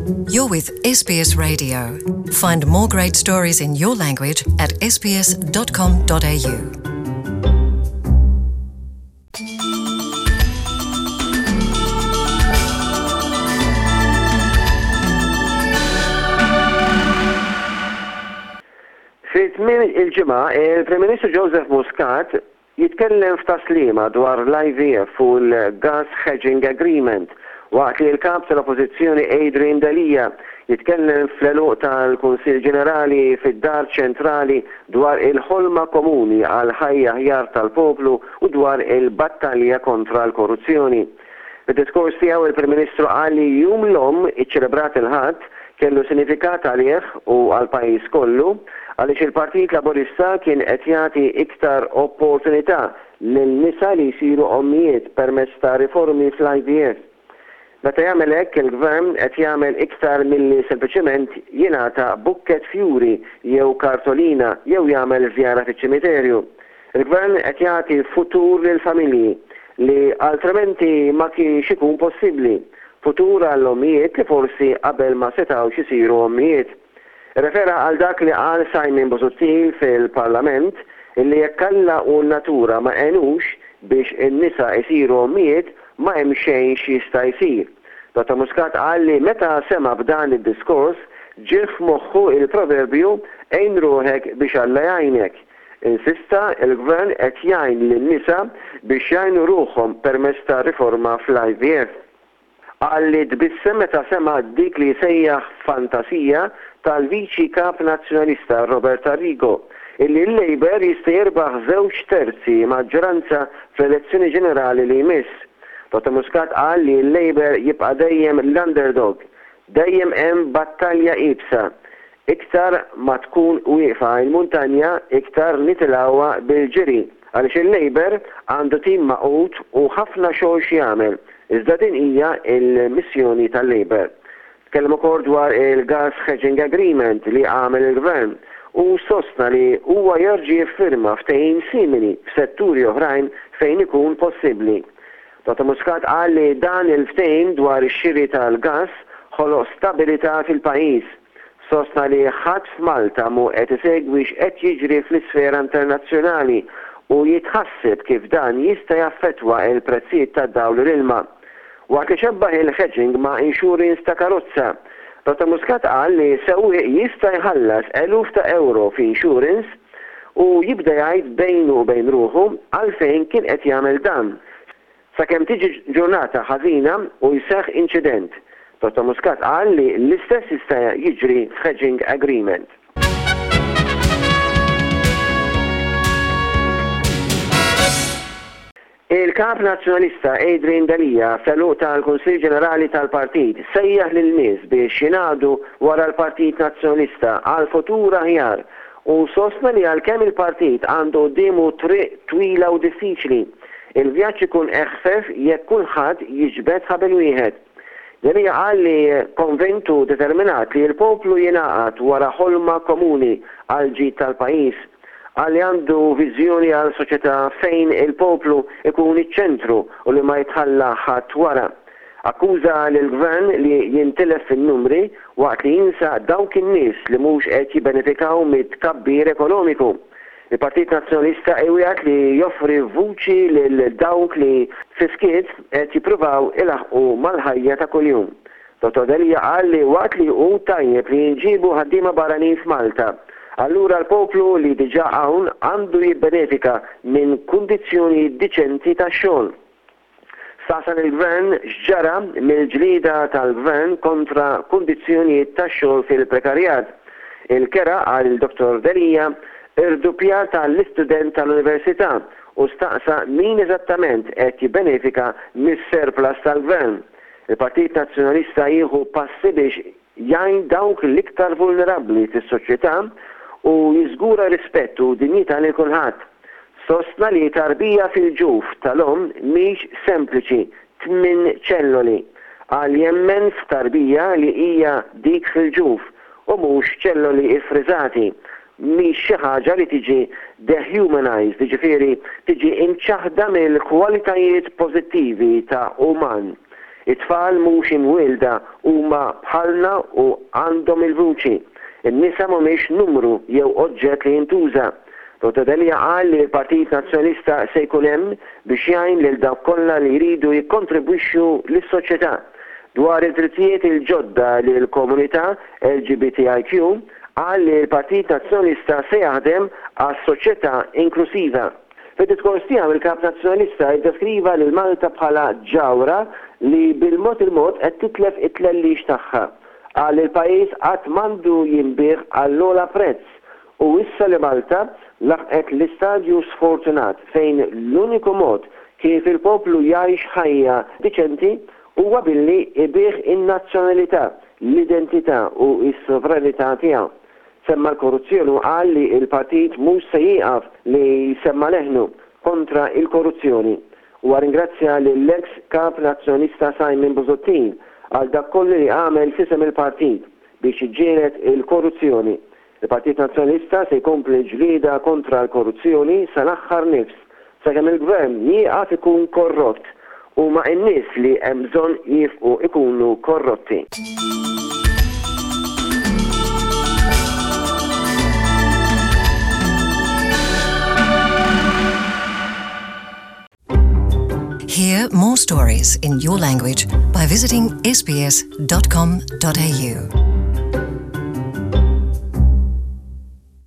You're with SBS Radio. Find more great stories in your language at sbs.com.au. Fi tmiem il-ġimgħa, il-Prim Ministru Joseph Muscat jitkellem f'Tas-Sliema dwar l-IVF u l-Gas Hedging Agreement waqt li l-Kap tal-Oppożizzjoni Adrian Delia jitkellem fl-għeluq tal-Kunsill Ġenerali fid-Dar Ċentrali dwar il-ħolma komuni għal ħajja aħjar tal-poplu u dwar il-battalja kontra l-korruzzjoni. Fid-diskors tiegħu il-Prim Ministru qal li Jum l-Omm iċċelebrat il-Ħadd kellu sinifikat għalih u għall-pajjiż kollu għaliex il-Partit Laburista kien qed jagħti iktar opportunità lil nisa li jsiru ommijiet permezz ta' riformi fl-IVF. Meta jagħmel hekk il-Gvern qed jagħmel iktar milli sempliċement jingħata bukkett fjuri jew kartolina jew jagħmel żjara fiċ-ċimiterju. Il-Gvern qed jagħti futur lill-familji li altrimenti ma kienx ikun possibbli, futur għall-ommijiet li forsi qabel ma setgħux isiru ommijiet. Irrefera għal dak li qal Simon Busuttil fil-Parlament illi jekk Alla u n-natura ma għenux biex in-nisa jsiru ommijiet ma hemm xejn x'jista' jsir. Dottor Muscat qal li meta sema' b'dan id-diskors ġie f'moħħu il-proverbju għin ruħek biex Alla jgħinek. Insista il-Gvern qed jgħin lin-nisa biex jgħinu ruħhom permezz ta' riforma fl-IVF. Qal li tbissem meta sema' dik li sejjaħ fantasija tal-Viċi Kap Nazzjonalista Robert Arrigo, illi l-Labour jista' jirbaħ żewġ terzi maġġoranza fl-elezzjoni ġenerali li jmiss. Dottor Muscat qal li l-Labour jibqa' dejjem l-underdog. Dejjem hemm battalja iebsa. Iktar ma tkun wieqfa l-muntanja iktar nitilgħuha bil-ġiri għaliex il-Labour għandu tim magħqud u ħafna xogħol x'jagħmel, iżda din hija l-missjoni tal-Labour. Tkellem ukoll dwar il-Gas Hedging Agreement li għamel il-Gvern u sostna li huwa jerġa' jiffirma ftehim simili f'setturi oħrajn fejn ikun possibbli. Dottor Muscat qal li dan il-ftehim dwar ix-xiri tal-gass ħoloq stabilità fil-pajjiż. Sostna li ħadd f'Malta mhu qed isegwi x'qed jiġri fl-isfera internazzjonali u jitħasseb kif dan jista' jaffettwa l-prezzijiet tad-dawl u l-ilma. Waqt li xebbaħ il-hedging ma' insurance ta' karozza, Dottor Muscat qal li sewwieq jista' jħallas eluf ta' ewro f'insurance u jibda jgħid bejnu u bejn ruħu għalfejn kien qed jagħmel dan, sakemm tiġi ġurnata ħażina u jseħħ inċident. Dottor Muscat qal li l-istess jista' jiġri f'hedging agreement. Il-Kap Nazzjonalista Adrian Delia fl-għeluq tal-Kunsill Ġenerali tal-Partit sejjaħ lil nies biex jingħaqdu wara l-Partit Nazzjonalista għal futur aħjar u sostna li għalkemm il-partit għandu quddiemu triq twila u diffiċli, il-vjaġġ ikun eħfef jekk kulħadd jiġbed ħabel wieħed. Delia qal li konvint u determinat li l-poplu jingħaqad wara ħolma komuni għall-ġid tal-pajjiż. Qal li għandu viżjoni għal soċjetà fejn il-poplu jkun iċ-ċentru u li ma jitħalla ħadd wara. Akkuża lill-Gvern li jintilef fin-numri waqt li jinsa dawk in-nies li mhux qed jibbenefikaw mit-tkabbir ekonomiku. Il-Partit Nazzjonalista iwiegħed li joffri vuċi lil dawk li fis-skiet qed jippruvaw ilaħħqu mal-ħajja ta' kuljum. Dottor Delia qal li waqt li hu tajjeb li jinġiebu ħaddiema barranin f'Malta, allura l-poplu li diġà hawn għandu jibbenefika minn kundizzjonijiet diċenti ta' xogħol. Staqsa lill-Gvern x'ġara mill-ġlieda tal-Gvern kontra kundizzjonijiet ta' xogħol fil-prekarjat. Il-kera, qal il-Dottor Delia, irduppjat għall-istudent tal-università u staqsa min eżattament qed jibbenefika mis-surplus tal-Gvern. Il-Partit Nazzjonalista jieħu passi biex jgħin dawk l-iktar vulnerabbli fis-soċjetà u jiżgura rispett u dinjità lil kulħadd. Sostna li tarbija fil-ġuf tal-omm mhix sempliċi tminn ċelloli. Qal jemmen f'tarbija li hija dik fil-ġuf u mhux ċelloli ffriżati. Mhix xi ħaġa li tiġi dehumanized, jiġifieri tiġi imċaħħda mill-kwalitajiet pożittivi ta' uman. It-tfal mhux imwielda huma bħalna u għandhom il-vuċi. In-nisa mhumiex numru jew oġġett li jintuża. Dottor Delia qal li l-Partit Nazzjonalista se jkun hemm biex jgħin lil dawk kollha li jridu jikkontribwixxu lis-soċjetà. Dwar id-drittijiet il-ġodda lill-komunità LGBTIQ, qal li l-Partit Nazzjonalista se jaħdem għas-soċjetà inklusiva. Fid-diskors tiegħu il-Kap Nazzjonalista iddeskriva lil Malta bħala ġawhra li bil-mod il-mod qed titlef it-tlellix tagħha. Qal li l-pajjiż qatt m'għandu jinbiegħ għall-ogħla prezz u wissa li Malta laħqet l-istadju sfortunat fejn l-uniku mod kif il-poplu jgħix ħajja diċenti huwa billi jbigħ in-nazzjonalità, l-identità u s-sovranità tiegħu. Semma l-korruzzjoni u qal li l-partit mhux se jieqaf li jsemma' leħnu kontra l-korruzzjoni. Huwa ringrazzja lill-eks Kap Nazzjonalista Simon Busuttil għal dak kollu li għamel f'isem il-partit biex jiġġieled il-korruzzjoni. Il-Partit Nazzjonalista se jkompli l-ġlieda kontra l-korruzzjoni sal-aħħar nifs sakemm il-Gvern jieqaf ikun korrott. Huma n-nies li hemm bżonn jiefqu ikunu korrotti. Hear more stories in your language by visiting sbs.com.au.